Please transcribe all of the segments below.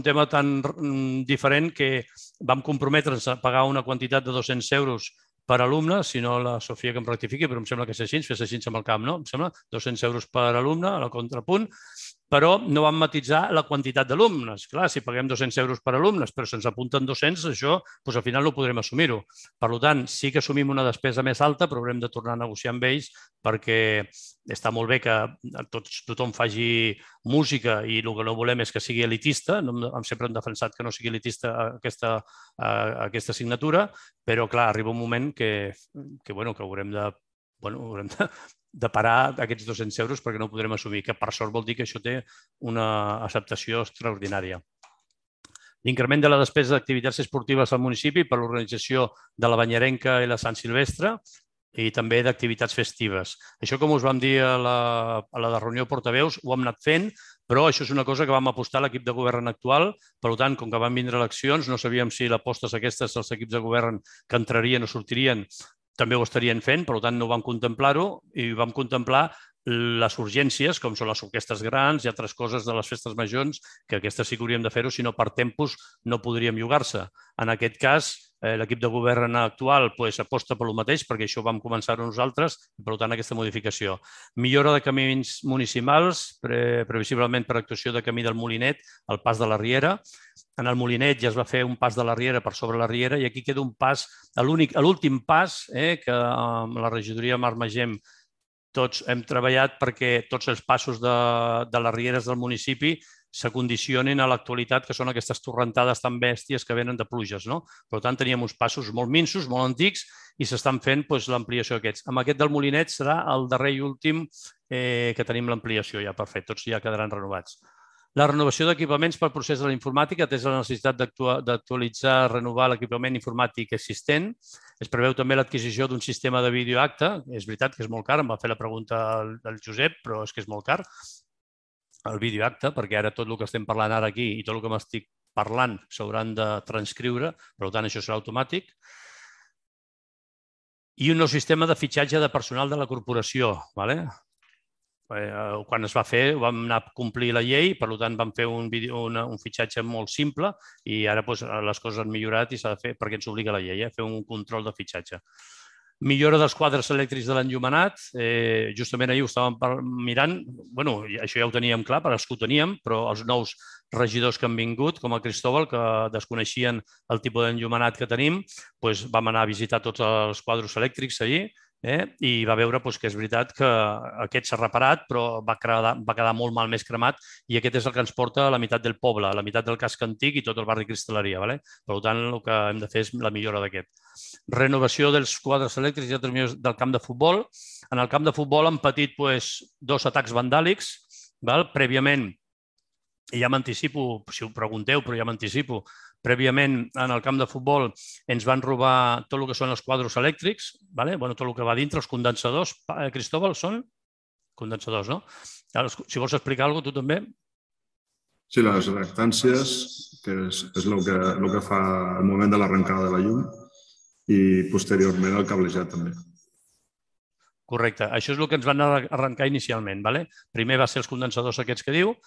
un tema tan diferent que vam comprometre'ns a pagar una quantitat de 200 euros per alumne, si no la Sofia que em rectifiqui, però em sembla que és així, fes així amb el camp, no? Em sembla 200 euros per alumne, a la contrapunt, però no vam matitzar la quantitat d'alumnes. Clar, si paguem 200 euros per alumnes, però se'ns apunten 200, això al final no podrem assumir-ho. Per tant, sí que assumim una despesa més alta, però haurem de tornar a negociar amb ells perquè està molt bé que tothom faci música i el que no volem és que sigui elitista. Sempre hem defensat que no sigui elitista aquesta assignatura, però clar, arriba un moment que haurem de parar aquests 200 euros perquè no ho podrem assumir, que per sort vol dir que això té una acceptació extraordinària. L'increment de la despesa d'activitats esportives al municipi per l'organització de la Banyerenca i la Sant Silvestre i també d'activitats festives. Això, com us vam dir a la reunió portaveus, ho hem anat fent, però això és una cosa que vam apostar a l'equip de govern actual. Per tant, com que van vindre eleccions, no sabíem si l'apostes aquestes els equips de govern que entrarien o sortirien també ho estarien fent, per tant no vam contemplar-ho i vam contemplar les urgències, com són les orquestres grans i altres coses de les festes majors, que aquestes sí que hauríem de fer-ho, si no per tempos no podríem llogar-se. En aquest cas, l'equip de govern actual aposta per lo mateix, perquè això ho vam començar-ho nosaltres, i per tant aquesta modificació. Millora de camins municipals, previsiblement per actuació de camí del Molinet, al pas de la Riera. En el Molinet ja es va fer un pas de la Riera per sobre la Riera i aquí queda un pas, l'últim pas, que amb la regidoria Mar Magem tots hem treballat perquè tots els passos de les rieres del municipi s'acondicionin a l'actualitat, que són aquestes torrentades tan bèsties que venen de pluges. Per tant, teníem uns passos molt minsos, molt antics, i s'estan fent l'ampliació d'aquests. Amb aquest del Molinet serà el darrer i últim que tenim l'ampliació ja per fer. Tots ja quedaran renovats. La renovació d'equipaments pel procés de la informàtica, atès la necessitat d'actualitzar, renovar l'equipament informàtic existent. Es preveu també l'adquisició d'un sistema de videoacte. És veritat que és molt car, em va fer la pregunta el Josep, però és que és molt car el videoacte, perquè ara tot el que estem parlant ara aquí i tot el que m'estic parlant s'hauran de transcriure, per tant això serà automàtic. I un nou sistema de fitxatge de personal de la corporació. Quan es va fer, vam anar a complir la llei, per tant vam fer un fitxatge molt simple i ara les coses han millorat i s'ha de fer perquè ens obliga la llei, fer un control de fitxatge. Millora dels quadres elèctrics de l'enllumenat. Justament ahir ho estàvem mirant. Això ja ho teníem clar, per als que ho teníem, però els nous regidors que han vingut, com el Cristóbal, que desconeixien el tipus d'enllumenat que tenim, vam anar a visitar tots els quadres elèctrics allí i va veure que és veritat que aquest s'ha reparat, però va quedar molt malmès cremat i aquest és el que ens porta a la meitat del poble, a la meitat del casc antic i tot el barri Cristal·leria. Per tant, el que hem de fer és la millora d'aquest. Renovació dels quadres elèctrics i del camp de futbol. En el camp de futbol han patit 2 atacs vandàlics. Prèviament, ja m'anticipo, si ho pregunteu, però ja m'anticipo, prèviament en el camp de futbol ens van robar tot el que són els quadres elèctrics, tot el que va dintre, els condensadors. Cristóbal, són condensadors, no? Si vols explicar alguna cosa, tu també. Sí, les reactàncies, que és el que fa el moment de l'arrencada de la llum i posteriorment el cablejat també. Correcte. Això és el que ens van arrencar inicialment. Primer va ser els condensadors aquests que diu.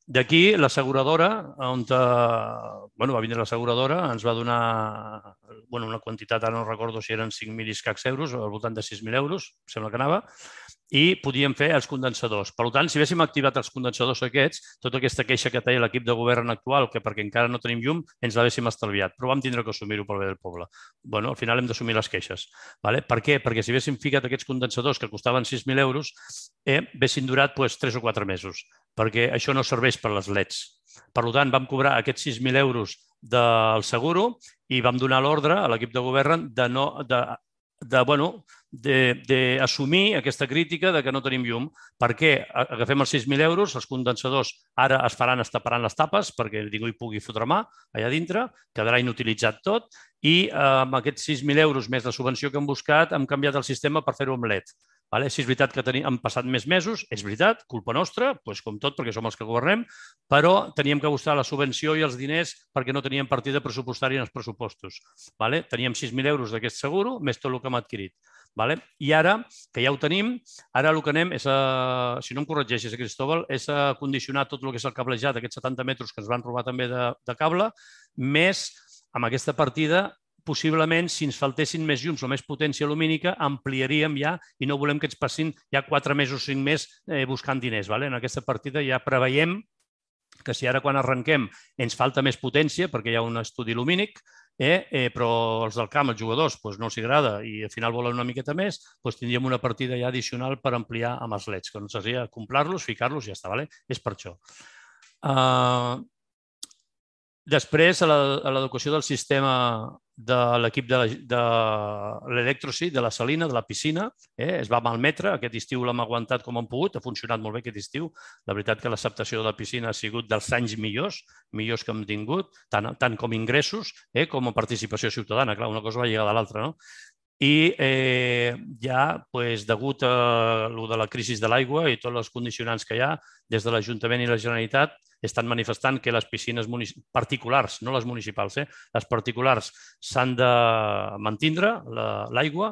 D'aquí, l'asseguradora, on va vindre l'asseguradora, ens va donar una quantitat, ara no recordo si eren 5.000 i escacs euros, al voltant de 6.000 euros, sembla que anava, i podíem fer els condensadors. Per tant, si haguéssim activat els condensadors aquests, tota aquesta queixa que té l'equip de govern actual, que perquè encara no tenim llum, ens l'haguéssim estalviat, però vam tindre que assumir-ho pel bé del poble. Al final hem d'assumir les queixes. Per què? Perquè si haguéssim ficat aquests condensadors que costaven 6.000 euros, haguessin durat 3 o 4 mesos, perquè això no serveix per les LEDs. Per tant, vam cobrar aquests 6.000 euros del seguro i vam donar l'ordre a l'equip de govern d'assumir aquesta crítica que no tenim llum. Per què? Agafem els 6.000 euros, els condensadors ara es taparan les tapes perquè ningú hi pugui fotre mà allà dintre, quedarà inutilitzat tot i amb aquests 6.000 euros més la subvenció que hem buscat hem canviat el sistema per fer-ho amb LED. Sí, és veritat que han passat més mesos, és veritat, culpa nostra, com tot, perquè som els que governem, però teníem que buscar la subvenció i els diners perquè no teníem partida pressupostària en els pressupostos. Teníem 6.000 euros d'aquest seguro, més tot el que hem adquirit. I ara, que ja ho tenim, ara el que anem és, si no em corregeixis, Cristóbal, és a condicionar tot el que és el cablejat, aquests 70 metres que ens van robar també de cable, més amb aquesta partida possiblement, si ens faltessin més llums o més potència lumínica, ampliaríem ja i no volem que ens passin ja 4 mesos o 5 més buscant diners. En aquesta partida ja preveiem que si ara quan arrenquem ens falta més potència perquè hi ha un estudi lumínic, però els del camp, els jugadors, no els agrada i al final volen una miqueta més, tindríem una partida ja addicional per ampliar amb els LEDs, que no seria comprar-los, ficar-los i ja està. És per això. Després, a l'educació del sistema de l'equip de l'Electrosi, de la salina, de la piscina, es va malmetre. Aquest estiu l'hem aguantat com hem pogut, ha funcionat molt bé aquest estiu. La veritat que l'acceptació de la piscina ha sigut dels anys millors que hem tingut, tant com ingressos com a participació ciutadana. Clar, una cosa va lligada a l'altra, no? I ja, degut a la crisi de l'aigua i tots els condicionants que hi ha, des de l'Ajuntament i la Generalitat estan manifestant que les piscines particulars, no les municipals, les particulars s'han de mantindre l'aigua,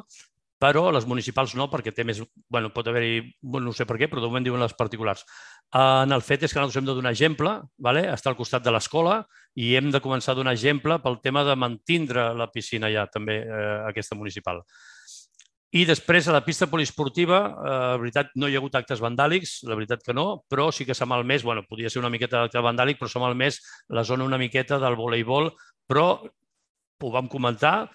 però les municipals no, perquè té més... pot haver-hi... no sé per què, però de moment diuen les particulars. El fet és que nosaltres hem de donar exemple, està al costat de l'escola, i hem de començar a donar exemple pel tema de mantindre la piscina ja, també, aquesta municipal. I després, a la pista poliesportiva, la veritat, no hi ha hagut actes vandàlics, la veritat que no, però sí que s'ha malmès, podia ser una miqueta d'acte vandàlic, però s'ha malmès la zona una miqueta del voleibol, però ho vam comentar,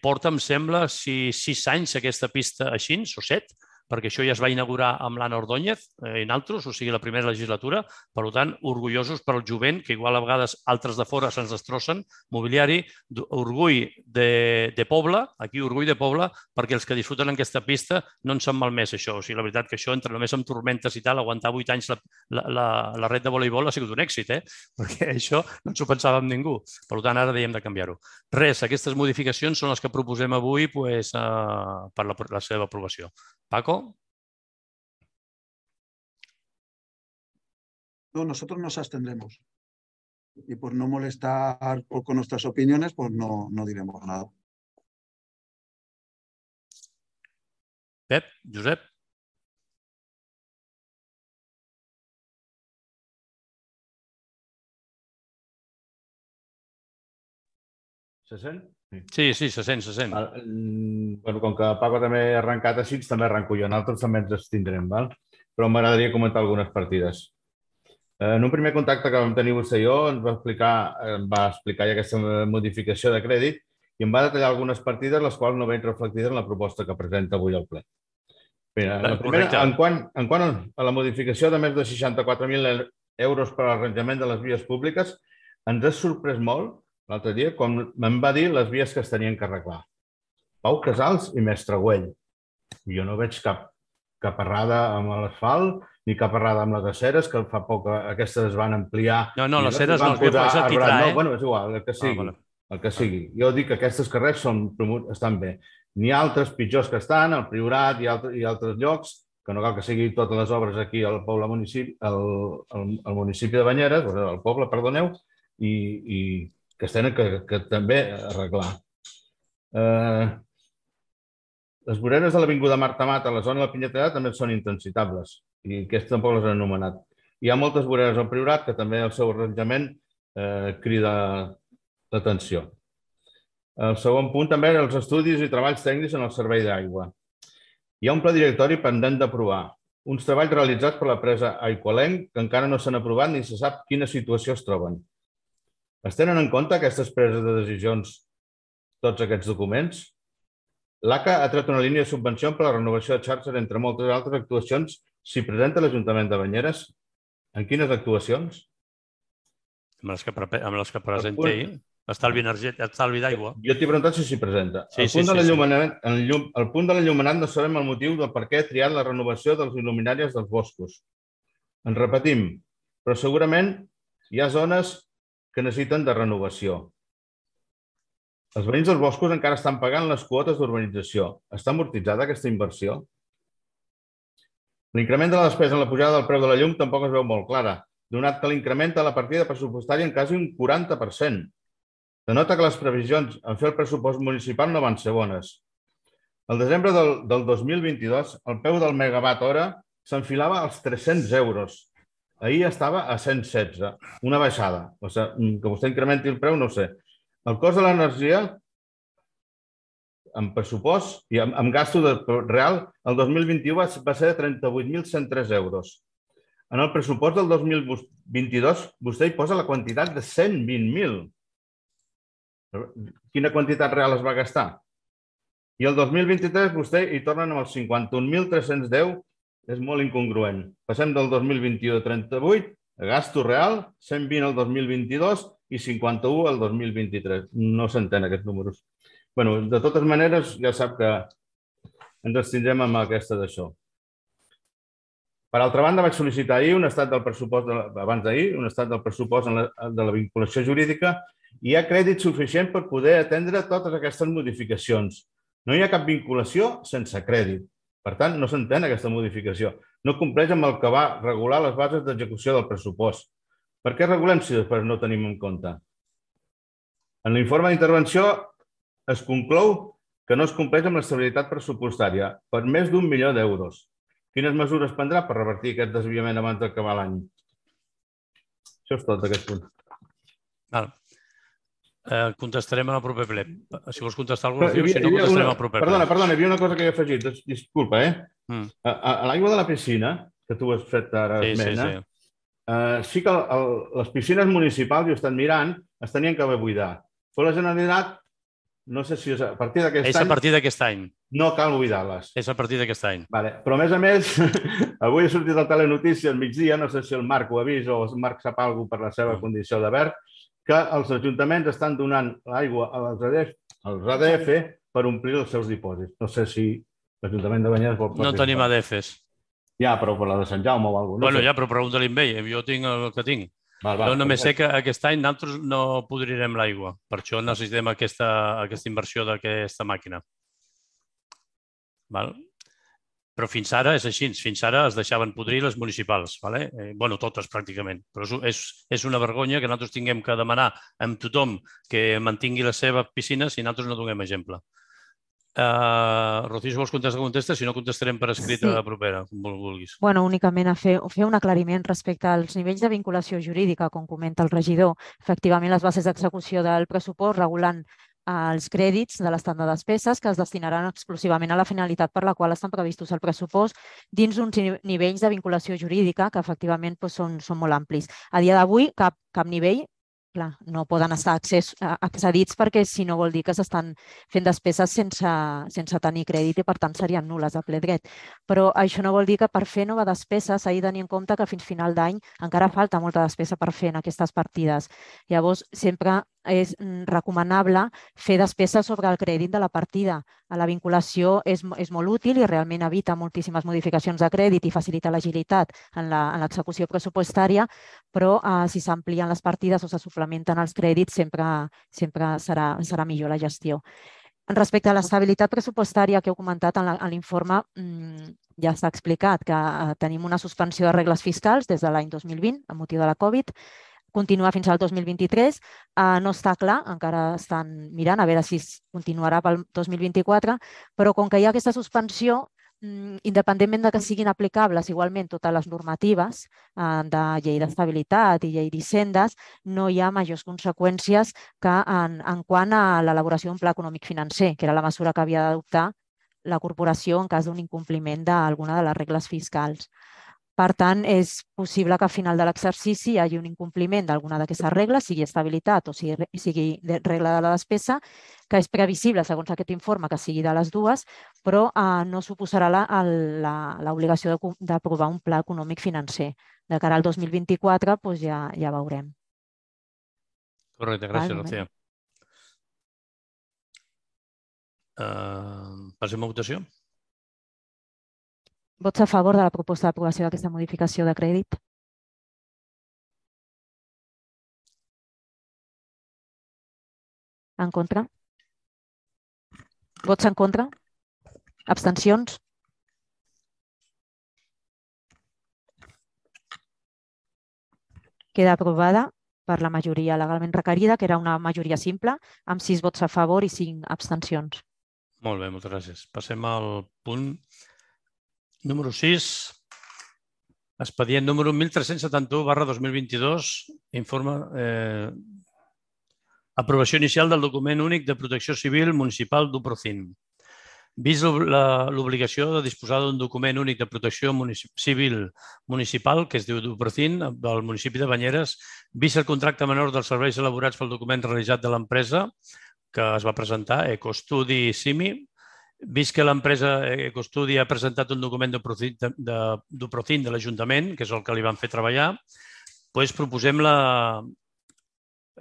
porta, em sembla, 6 anys aquesta pista així, o 7, perquè això ja es va inaugurar amb l'Anna Ordóñez i nosaltres, o sigui, la primera legislatura. Per tant, orgullosos per al jovent, que igual a vegades altres de fora se'ns destrossen, mobiliari, orgull de poble, aquí orgull de poble, perquè els que disfruten en aquesta pista no ens han malmès això. O sigui, la veritat que això, entre només amb tormentes i tal, aguantar 8 anys la ret de voleibol ha sigut un èxit, perquè això no ens ho pensàvem ningú. Per tant, ara dèiem de canviar-ho. Res, aquestes modificacions són les que proposem avui per la seva aprovació. Paco. No, nosotros nos abstendremos. Y por no molestar con nuestras opiniones, pues no diremos nada. Pep, Josep. Se sent? Sí, se sent. Com que Paco també ha arrencat així, també arrenco jo. Nosaltres també ens abstindrem, però m'agradaria comentar algunes partides. En un primer contacte que vam tenir vostè i jo, ens va explicar ja aquesta modificació de crèdit i em va detallar algunes partides, les quals no veig reflectides en la proposta que presenta avui al ple. La primera, en quant a la modificació de més de 64.000 euros per a l'arranjament de les vies públiques, ens ha sorprès molt l'altre dia quan me'n va dir les vies que es tenien que arreglar. Pau Casals i Mestre Güell. Jo no veig cap errada amb l'asfalt ni cap errada amb les aceres, que fa poc aquestes es van ampliar. No, les aceres no, és el titrà, Bueno, és igual, el que sigui. Jo dic que aquestes carrers estan bé. N'hi ha altres pitjors que estan, al Priorat i altres llocs, que no cal que siguin totes les obres aquí al municipi de Banyeres, al poble, perdoneu, i que es tenen que també arreglar. Les voreres de l'Avinguda Marta Mata a la zona de la Pinyetada també són intensitables i aquestes tampoc les han anomenat. Hi ha moltes voreres al Priorat que també el seu arranjament crida l'atenció. El segon punt també eren els estudis i treballs tècnics en el servei d'aigua. Hi ha un pla directori pendent d'aprovar, uns treballs realitzats per la presa Aigualenc que encara no s'han aprovat ni se sap quina situació es troben. Es tenen en compte aquestes preses de decisions, tots aquests documents? L'ACA ha tret una línia de subvenció per a la renovació de xarxes, entre moltes altres actuacions. S'hi presenta l'Ajuntament de Banyeres? En quines actuacions? Amb les que presenta ell. Estalvi d'aigua. Jo t'he preguntat si s'hi presenta. El punt de l'enllumenat no sabem el motiu del per què ha triat la renovació dels il·luminàries dels boscos. Ens repetim, però segurament hi ha zones que necessiten de renovació. Els veïns dels boscos encara estan pagant les quotes d'urbanització. Està amortitzada aquesta inversió? L'increment de la despesa en la pujada del preu de la llum tampoc es veu molt clara, donat que l'incrementa la partida pressupostària en quasi un 40%. Denota que les previsions en fer el pressupost municipal no van ser bones. Al desembre del 2022, el preu del megawatt hora s'enfilava als 300 euros. Ahir estava a 116, una baixada. O sigui, que vostè incrementi el preu, no ho sé. El cost de l'energia, amb pressupost i amb gasto real, el 2021 va ser de 38.103 euros. En el pressupost del 2022, vostè hi posa la quantitat de 120.000. Quina quantitat real es va gastar? I el 2023 vostè hi tornen amb els 51.310, és molt incongruent. Passem del 2021 de 38, a gasto real, 120 el 2022 i 51 el 2023. No s'entén aquests números. Bé, de totes maneres, ja sap que ens abstindrem amb aquesta d'això. Per altra banda, vaig sol·licitar ahir un estat del pressupost, abans d'ahir, un estat del pressupost de la vinculació jurídica i hi ha crèdit suficient per poder atendre totes aquestes modificacions. No hi ha cap vinculació sense crèdit. Per tant, no s'entén aquesta modificació. No compleix amb el que va regular les bases d'execució del pressupost. Per què regulem si després no ho tenim en compte? En l'informe d'intervenció es conclou que no es compleix amb l'estabilitat pressupostària per més d'1 milió d'euros. Quines mesures prendrà per revertir aquest desviament abans d'acabar l'any? Això és tot d'aquest punt. Contestarem en el proper ple. Si vols contestar alguna cosa, si no, contestarem al proper ple. Perdona, hi havia una cosa que he afegit. Disculpa, A l'aigua de la piscina, que tu has fet ara esmena, sí que les piscines municipals, jo he estat mirant, es tenien que haver buidat. Però la Generalitat, no sé si és a partir d'aquest any... És a partir d'aquest any. No cal buidar-les. És a partir d'aquest any. Però, a més, avui he sortit al Telenotícies al migdia, no sé si el Marc ho ha vist o el Marc sap alguna cosa per la seva condició de verd, que els ajuntaments estan donant l'aigua als ADF per omplir els seus dipòsits. No sé si l'Ajuntament de Banyeres vol participar. No tenim ADFs. Ja, però per la de Sant Jaume o alguna cosa. Bueno, ja, però pregunta-li amb ell. Jo tinc el que tinc. Jo només sé que aquest any nosaltres no podrirem l'aigua. Per això necessitem aquesta inversió d'aquesta màquina. Però fins ara és així. Fins ara es deixaven podrir les municipals. Bueno, totes pràcticament. Però és una vergonya que nosaltres tinguem que demanar amb tothom que mantingui les seves piscines i nosaltres no donem exemple. Rocío, si vols contestar, si no contestarem per escrit a la propera, com vulguis. Bueno, únicament a fer un aclariment respecte als nivells de vinculació jurídica, com comenta el regidor. Efectivament, les bases d'execució del pressupost regulant els crèdits de l'estat de despeses que es destinaran exclusivament a la finalitat per la qual estan previstos al pressupost dins uns nivells de vinculació jurídica que efectivament són molt amplis. A dia d'avui, cap nivell no poden estar accedits perquè si no vol dir que s'estan fent despeses sense tenir crèdit i per tant serien nul·les a ple dret. Però això no vol dir que per fer nova despesa s'ha de tenir en compte que fins final d'any encara falta molta despesa per fer en aquestes partides. Llavors, sempre és recomanable fer despesa sobre el crèdit de la partida. La vinculació és molt útil i realment evita moltíssimes modificacions de crèdit i facilita l'agilitat en l'execució pressupostària, però si s'amplien les partides o se suplementen els crèdits sempre serà millor la gestió. Respecte a l'estabilitat pressupostària que heu comentat en l'informe, ja s'ha explicat que tenim una suspensió de regles fiscals des de l'any 2020 amb motiu de la Covid, continua fins al 2023, no està clar, encara estan mirant a veure si continuarà pel 2024, però com que hi ha aquesta suspensió, independentment de que siguin aplicables igualment totes les normatives de llei d'estabilitat i llei d'hisendes, no hi ha majors conseqüències que en quant a l'elaboració d'un pla econòmic financer, que era la mesura que havia d'adoptar la corporació en cas d'un incompliment d'alguna de les regles fiscals. Per tant, és possible que al final de l'exercici hi hagi un incompliment d'alguna d'aquestes regles, sigui estabilitat o sigui regla de la despesa, que és previsible, segons aquest informe, que sigui de les dues, però no suposarà l'obligació d'aprovar un pla econòmic financer. De cara al 2024 ja veurem. Correcte, gràcies, Rocío. Passem a votació. Vots a favor de la proposta d'aprovació d'aquesta modificació de crèdit? En contra? Vots en contra? Abstencions? Queda aprovada per la majoria legalment requerida, que era una majoria simple, amb 6 vots a favor i 5 abstencions. Molt bé, moltes gràcies. Passem al punt número 6. Expedient número 1371/2022, informe aprovació inicial del document únic de protecció civil municipal d'Uprocin. Vist l'obligació de disposar d'un document únic de protecció civil municipal, que es diu d'Uprocin, del municipi de Banyeres, vist el contracte menor dels serveis elaborats pel document realitzat de l'empresa que es va presentar, Ecostudi Simi, vist que l'empresa Ecostudi ha presentat un document d'Uprocin de l'Ajuntament, que és el que li van fer treballar, doncs proposem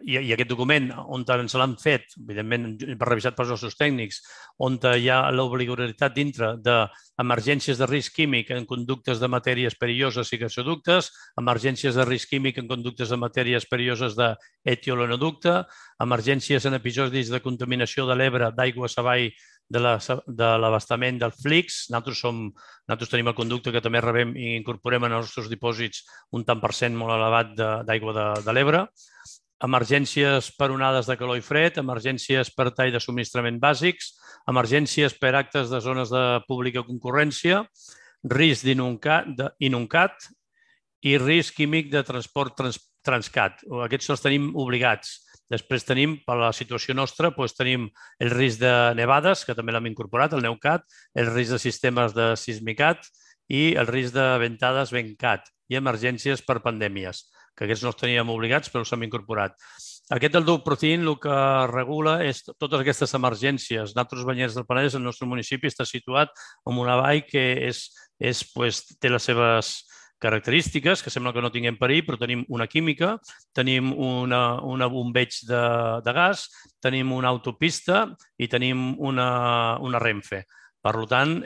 i aquest document, on ens l'han fet, evidentment revisat pels nostres tècnics, on hi ha l'obligatorietat dintre d'emergències de risc químic en conductes de matèries perilloses i gasoductes, emergències de risc químic en conductes de matèries perilloses d'etiolonoducte, emergències en episodis de contaminació de l'Ebre d'aigües avall de l'abastament del Flix. Nosaltres tenim el conducte que també rebem i incorporem en els nostres dipòsits un tant per cent molt elevat d'aigua de l'Ebre. Emergències per onades de calor i fred, emergències per tall de subministrament bàsics, emergències per actes de zones de pública concurrència, risc d'inuncat i risc químic de transport Transcat. Aquests els tenim obligats. Després tenim, per la situació nostra, tenim el risc de nevades, que també l'hem incorporat, el NEUCAT, el risc de sistemes de sismicat i el risc de ventades VENCAT i emergències per pandèmies, que aquests no els teníem obligats, però els hem incorporat. Aquest del d'Uprocin el que regula és totes aquestes emergències. Nosaltres, Banyeres del Penedès, el nostre municipi està situat en una vall que té les seves característiques, que sembla que no tinguem perill, però tenim una química, tenim un bombeig de gas, tenim una autopista i tenim una Renfe. Per tant,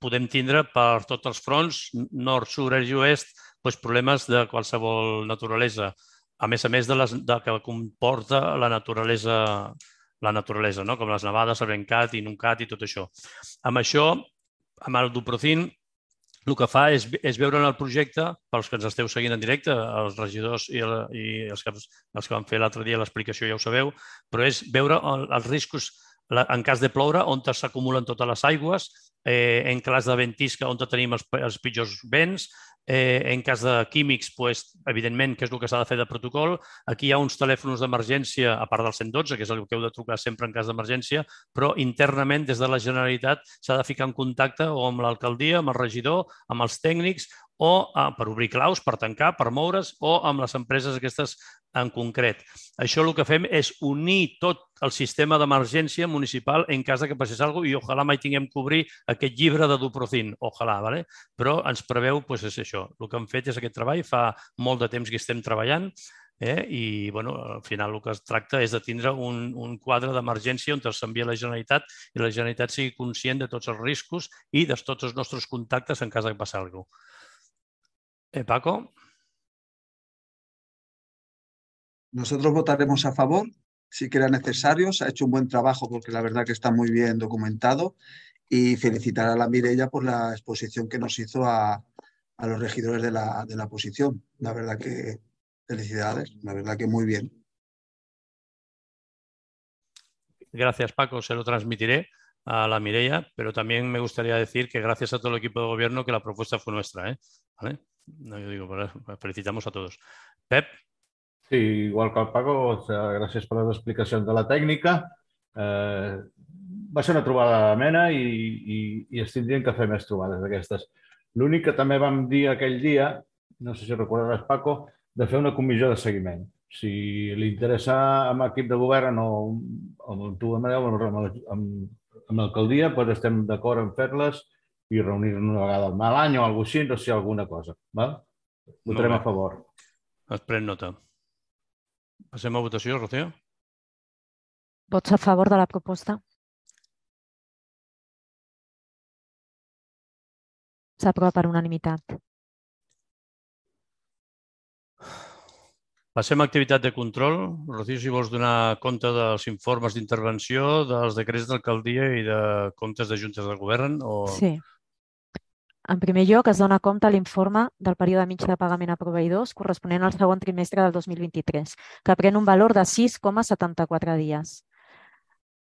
podem tindre per tots els fronts, nord, sud, est i oest, problemes de qualsevol naturalesa, a més de que comporta la naturalesa, com les nevades, el VENCAT, INUNCAT i tot això. Amb això, amb el d'Uprocin, el que fa és veure en el projecte, pels que ens esteu seguint en directe, els regidors i els que van fer l'altre dia l'explicació ja ho sabeu, però és veure els riscos en cas de ploure, on s'acumulen totes les aigües, en cas de ventisca, on tenim els pitjors vents, en cas de químics, evidentment, que és el que s'ha de fer de protocol. Aquí hi ha uns telèfons d'emergència, a part del 112, que és el que heu de trucar sempre en cas d'emergència, però internament, des de la Generalitat, s'ha de ficar en contacte o amb l'alcaldia, amb el regidor, amb els tècnics, o per obrir claus, per tancar, per moure's, o amb les empreses aquestes en concret. Això el que fem és unir tot el sistema d'emergència municipal en cas que passés alguna cosa i ojalà mai tinguem que obrir aquest llibre de d'Uprocin, ojalà, però ens preveu, és això. El que hem fet és aquest treball, fa molt de temps que estem treballant i al final el que es tracta és de tindre un quadre d'emergència on s'envia la Generalitat i la Generalitat sigui conscient de tots els riscos i de tots els nostres contactes en cas que passi alguna cosa. Paco. Nosotros votaremos a favor si que era necesario. Se ha hecho un buen trabajo porque la verdad que está muy bien documentado y felicitar a la Mireia por la exposición que nos hizo a los regidores de la oposición. La verdad que felicidades, la verdad que muy bien. Gracias, Paco. Se lo transmitiré a la Mireia, pero también me gustaría decir que gracias a todo el equipo de gobierno que la propuesta fue nuestra. ¿Vale? No, yo digo, felicitamos a todos. Pep. Sí, igual que el Paco, gràcies per les explicacions de la tècnica. Va ser una trobada amena i es tindrien que fer més trobades d'aquestes. L'únic que també vam dir aquell dia, no sé si recordaràs, Paco, de fer una comissió de seguiment. Si li interessa amb l'equip de govern o amb tu, Amadeu, amb l'alcaldia, doncs estem d'acord en fer-les i reunir-nos una vegada al l'any o alguna cosa així, no sé, alguna cosa. Votarem a favor. Es pren nota. Passem a votació, Rocío. Vots a favor de la proposta. S'aprova per unanimitat. Passem a activitat de control. Rocío, si vols donar compte dels informes d'intervenció, dels decrets d'alcaldia i de comptes de juntes de govern. Sí. En primer lloc, es dona compte l'informe del període mig de pagament a proveïdors corresponent al segon trimestre del 2023, que pren un valor de 6,74 dies.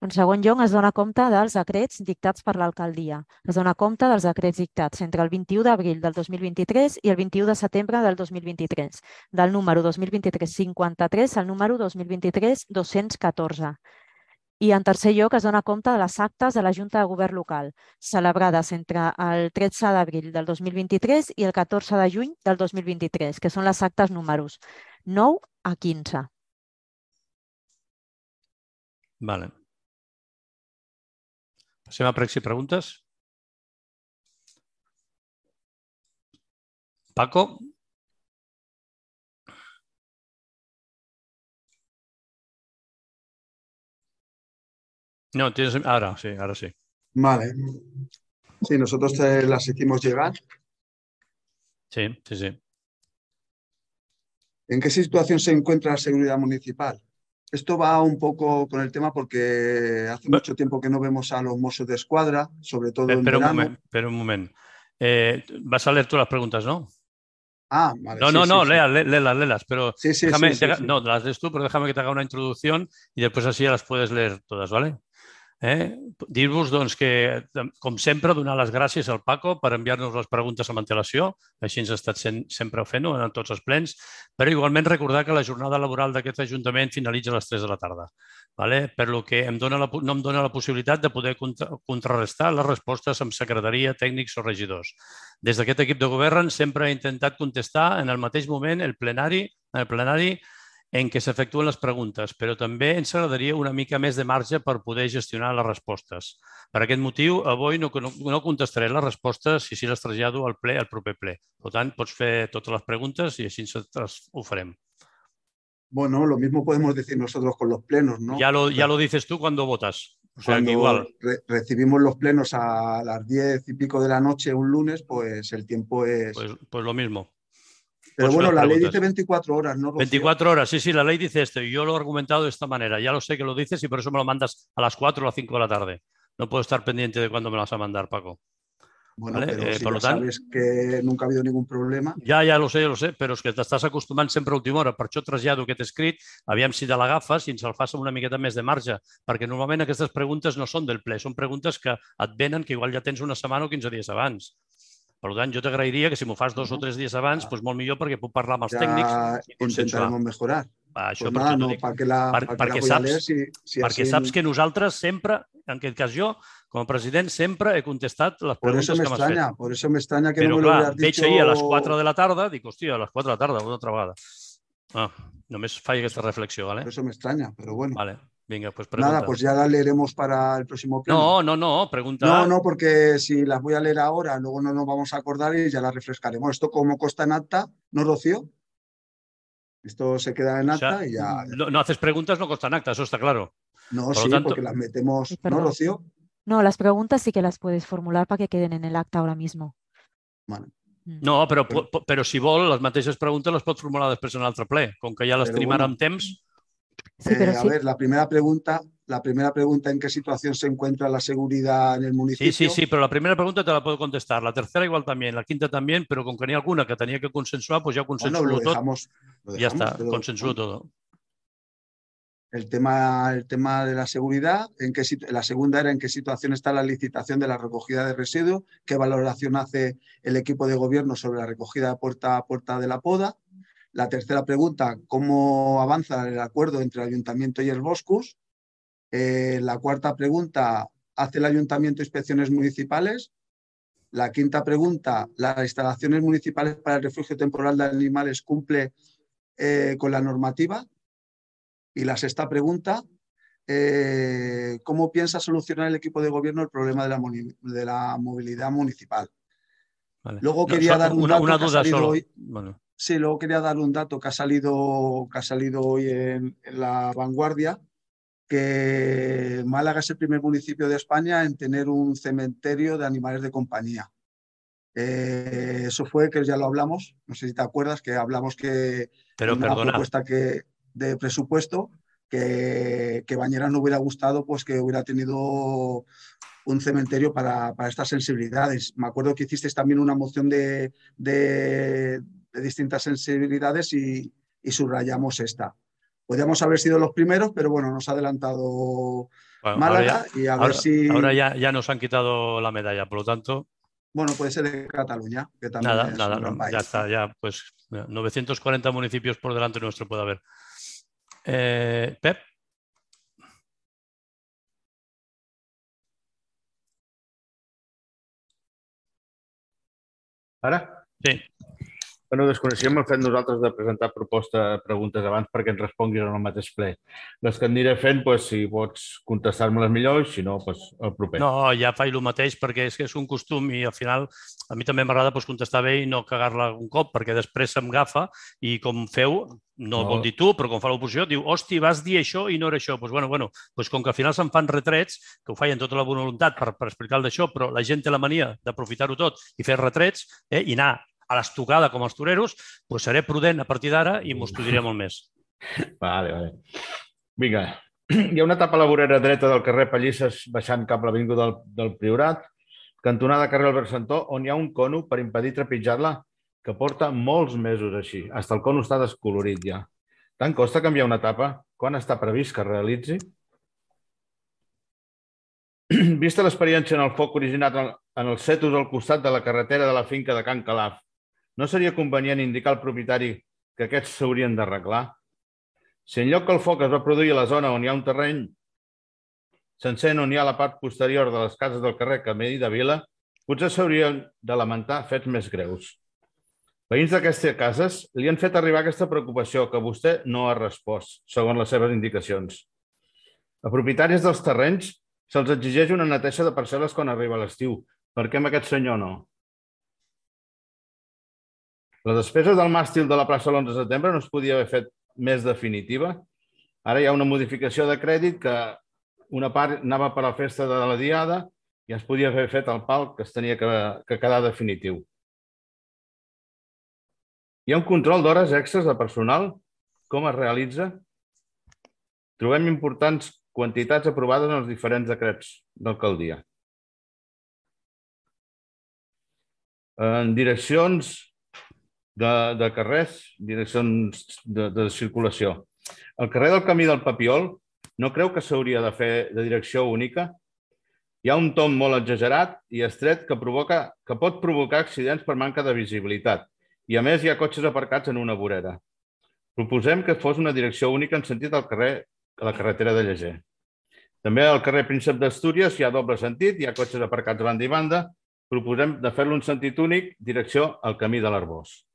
En segon lloc, es dona compte dels decrets dictats per l'alcaldia. Es dona compte dels decrets dictats entre el 21 d'abril del 2023 i el 21 de setembre del 2023, del número 2023-53 al número 2023-214. I en tercer lloc, es dona compte de les actes de la Junta de Govern local, celebrades entre el 13 d'abril del 2023 i el 14 de juny del 2023, que són les actes números 9 a 15. Vale. Passem a pregs i preguntes. Paco? No, tienes... Ahora sí, ahora sí. Vale. Sí, nosotros te las hicimos llegar. Sí, sí, sí. ¿En qué situación se encuentra la seguridad municipal? Esto va un poco con el tema porque hace mucho tiempo que no vemos a los Mossos de Escuadra, sobre todo en verano. Espera un moment. Vas a leer tú las preguntas, ¿no? Ah, vale. No, léelas, pero sí. No, las lees tú, pero déjame que te haga una introducción y después así ya las puedes leer todas, ¿vale? Dir-vos doncs, que, com sempre, donar les gràcies al Paco per enviar-nos les preguntes amb antelació. Així ens ha estat sempre fent-ho en tots els plens. Però igualment recordar que la jornada laboral d'aquest Ajuntament finalitza a les 3 de la tarda. Per lo que no em dona la possibilitat de poder contrarrestar les respostes amb secretaria, tècnics o regidors. Des d'aquest equip de govern sempre he intentat contestar en el mateix moment el plenari en què s'efectuen les preguntes, però també ens agradaria una mica més de marge per poder gestionar les respostes. Per aquest motiu, avui no contestaré les respostes i si les trasllado al proper ple. Per tant, pots fer totes les preguntes i així ho farem. Bueno, lo mismo podemos decir nosotros con los plenos, ¿no? Ya lo dices tú cuando votas. O sea, cuando que igual. Recibimos los plenos a las 10 y pico de la noche un lunes, pues el tiempo es... Pues lo mismo. Pero bueno, la ley dice 24 horas, ¿no, Rocío? 24 horas, sí, la ley dice esto y yo lo he argumentado de esta manera. Ya lo sé que lo dices y por eso me lo mandas a las 4 o a las 5 de la tarde. No puedo estar pendiente de cuándo me lo vas a mandar, Paco. Bueno, ¿vale? Pero si sabes que nunca ha habido ningún problema. Ja lo sé, però és que t'estàs acostumant sempre a última hora. Per això trasllado aquest escrit, aviam si te l'agafes i ens el fas amb una miqueta més de marge, perquè normalment aquestes preguntes no són del ple, són preguntes que et venen que igual ja tens una setmana o 15 dies abans. Per tant, jo t'agrairia que si m'ho fas 2 o 3 dies abans, doncs molt millor perquè puc parlar amb els tècnics i consensuar. Intentarem mejorar. Això pues nada, no, perquè saps que nosaltres sempre, en aquest cas jo, com a president, sempre he contestat les preguntes que m'has fet. Por eso me extraña que però, no me lo hubieras Veig dicho... ahir a les 4 de la tarda, dic, hòstia, a les 4 de la tarda, una altra vegada. Només faig aquesta reflexió, ¿vale? Por eso me extraña, pero bueno. Vale. Venga, pues pregunta. Nada, pues ya la leeremos para el próximo pleno. No, pregunta. No, porque si las voy a leer ahora, luego no nos vamos a acordar y ya las refrescaremos. Esto como consta en acta, ¿no, Rocío? Esto se queda en acta y ya... No haces preguntas, no consta en acta, eso está claro. No, sí, porque las metemos... ¿No, Rocío? No, las preguntas sí que las puedes formular para que queden en el acta ahora mismo. Vale. No, però si vol, les mateixes preguntes les pot formular després en un altre ple. Com que ja les tenim ara amb temps... Sí, pero a ver, la primera pregunta, ¿en qué situación se encuentra la seguridad en el municipio? Sí, pero la primera pregunta te la puedo contestar. La tercera igual también, la quinta también, pero con que n'hi ha alguna que tenia que consensuar, pues ja ho consensuo tot. Ja està, consensuo todo. El tema de la seguridad, la segunda era en qué situación está la licitación de la recogida de residuos, qué valoración hace el equipo de gobierno sobre la recogida de puerta a puerta de la poda. La tercera pregunta, ¿cómo avanza el acuerdo entre el Ayuntamiento y el Boscus? La cuarta pregunta, ¿hace el Ayuntamiento inspecciones municipales? La quinta pregunta, ¿las instalaciones municipales para el refugio temporal de animales cumple con la normativa? Y la sexta pregunta, ¿cómo piensa solucionar el equipo de gobierno el problema de la movilidad municipal? Vale. Luego quería dar un dato una que ha duda salido solo. hoy. Bueno. Sí, luego quería dar un dato que ha salido hoy en La Vanguardia, que Málaga es el primer municipio de España en tener un cementerio de animales de compañía. Eso fue, que ya lo hablamos, no sé si te acuerdas, que hablamos que Pero una propuesta de presupuesto que Bañeras no hubiera gustado, pues que hubiera tenido un cementerio para estas sensibilidades. Me acuerdo que hicisteis también una moción de distintas sensibilidades y subrayamos esta. Podríamos haber sido los primeros, pero bueno, nos ha adelantado Málaga y a ver si... Ahora ya nos han quitado la medalla, por lo tanto... Bueno, puede ser de Cataluña, que también es un gran país. Ya está, ya pues 940 municipios por delante nuestro puede haber. Pep. Ara? Sí. Bueno, desconeixíem el fet nosaltres de presentar preguntes abans perquè ens responguis en el mateix ple. Les que aniré fent, si pots contestar-me-les millor i si no, el proper. No, ja faig el mateix perquè és que és un costum i al final a mi també m'agrada contestar bé i no cagar-la un cop perquè després se'm agafa i com feu, no vol dir tu, però com fa l'oposició, diu, hosti, vas dir això i no era això. Doncs com que al final se'n fan retrets, que ho feien tota la bona voluntat per explicar el d'això, però la gent té la mania d'aprofitar-ho tot i fer retrets i anar a l'estocada com els toreros, doncs seré prudent a partir d'ara i m'ho estudiaré molt més. Vale. Vinga, hi ha una etapa a la vorera dreta del carrer Pallisses baixant cap a l'avinguda del Priorat, cantonada carrer Albert Santó, on hi ha un cono per impedir trepitjar-la que porta molts mesos així. Fins el cono està descolorit ja. Tant costa canviar una etapa? Quan està previst que es realitzi? Vista l'experiència en el foc originat en els setos al costat de la carretera de la finca de Can Calaf, no seria convenient indicar al propietari que aquests s'haurien d'arreglar? Si en lloc que el foc es va produir a la zona on hi ha un terreny sencer on hi ha la part posterior de les cases del carrer Camí de Vila, potser s'haurien de lamentar fets més greus. Veïns d'aquestes cases li han fet arribar aquesta preocupació que vostè no ha respost, segons les seves indicacions. A propietaris dels terrenys se'ls exigeix una neteja de parcel·les quan arriba l'estiu. Per què amb aquest senyor no? La despesa del màstil de la plaça l'11 de setembre no es podia haver fet més definitiva. Ara hi ha una modificació de crèdit que una part anava per a la festa de la Diada i es podia haver fet el pal que es tenia que quedar definitiu. Hi ha un control d'hores extres de personal? Com es realitza? Trobem importants quantitats aprovades en els diferents decrets d'alcaldia. En direccions de carrers, direccions de circulació. El carrer del Camí del Papiol no creu que s'hauria de fer de direcció única? Hi ha un tom molt exagerat i estret que pot provocar accidents per manca de visibilitat i, a més, hi ha cotxes aparcats en una vorera. Proposem que fos una direcció única en sentit al carrer a la carretera de Lleger. També al carrer Príncep d'Astúries hi ha doble sentit, hi ha cotxes aparcats a banda i banda. Proposem de fer-lo un sentit únic, direcció al Camí de l'Arbós.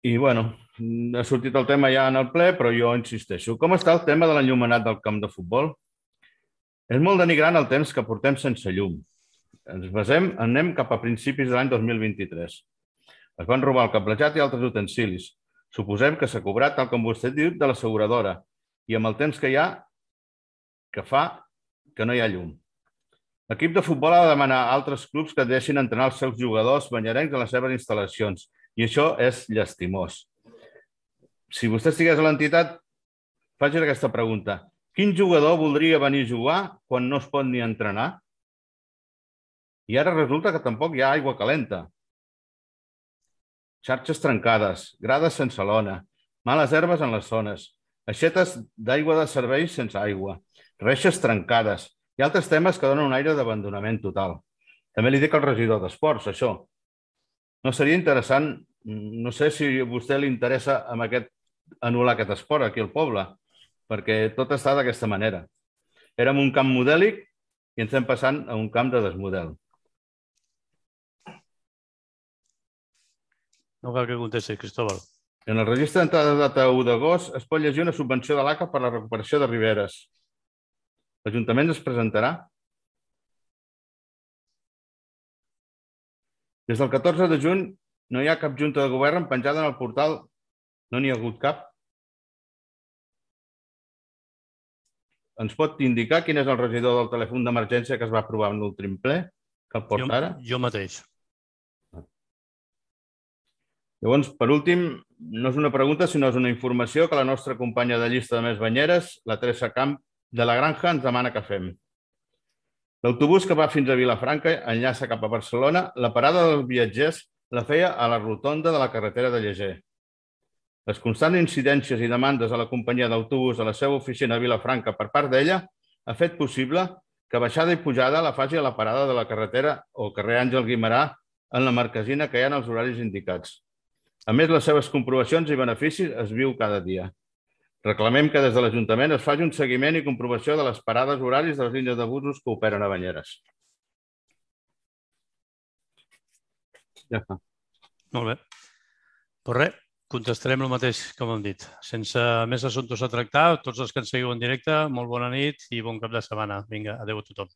I, bueno, ha sortit el tema ja en el ple, però jo insisteixo. Com està el tema de l'enllumenat del camp de futbol? És molt denigrant el temps que portem sense llum. Anem cap a principis de l'any 2023. Es van robar el cablejat i altres utensilis. Suposem que s'ha cobrat, tal com vostè ha dit, de l'asseguradora. I amb el temps que hi ha, que fa que no hi ha llum. L'equip de futbol ha de demanar a altres clubs que deixin entrenar els seus jugadors banyarencs a les seves instal·lacions. I això és llastimós. Si vostè estigués a l'entitat, faci aquesta pregunta. Quin jugador voldria venir a jugar quan no es pot ni entrenar? I ara resulta que tampoc hi ha aigua calenta. Xarxes trencades, grades sense lona, males herbes en les zones, aixetes d'aigua de serveis sense aigua, reixes trencades i altres temes que donen un aire d'abandonament total. També li dic al regidor d'Esports, això. No seria interessant, no sé si a vostè li interessa anul·lar aquest esport aquí al poble, perquè tot està d'aquesta manera. Érem un camp modèlic i ens estem passant a un camp de desmodel. No cal que contesti, Cristóbal. En el registre d'entrada de data 1 d'agost es pot llegir una subvenció de l'ACA per la recuperació de riberes. L'Ajuntament es presentarà? Des del 14 de juny no hi ha cap junta de govern penjada en el portal. No n'hi ha hagut cap. Ens pot indicar quin és el regidor del telèfon d'emergència que es va aprovar en l'últim ple? Que el porta ara? Jo mateix. Llavors, per últim, no és una pregunta, sinó és una informació que la nostra companya de llista de Més Banyeres, la Teresa Camp, de la Granja ens demana que fem. L'autobús que va fins a Vilafranca enllaça cap a Barcelona. La parada dels viatgers la feia a la rotonda de la carretera de Lleger. Les constants incidències i demandes a la companyia d'autobús a la seva oficina a Vilafranca per part d'ella ha fet possible que baixada i pujada la faci a la parada de la carretera o carrer Àngel Guimerà en la marquesina que hi ha en els horaris indicats. A més, les seves comprovacions i beneficis es viu cada dia. Reclamem que des de l'Ajuntament es faci un seguiment i comprovació de les parades horaris de les línies de busos que operen a Banyeres. Ja està. Molt bé. Doncs res, contestarem el mateix que hem dit. Sense més assumptes a tractar, tots els que ens seguiu en directe, molt bona nit i bon cap de setmana. Vinga, adeu a tothom.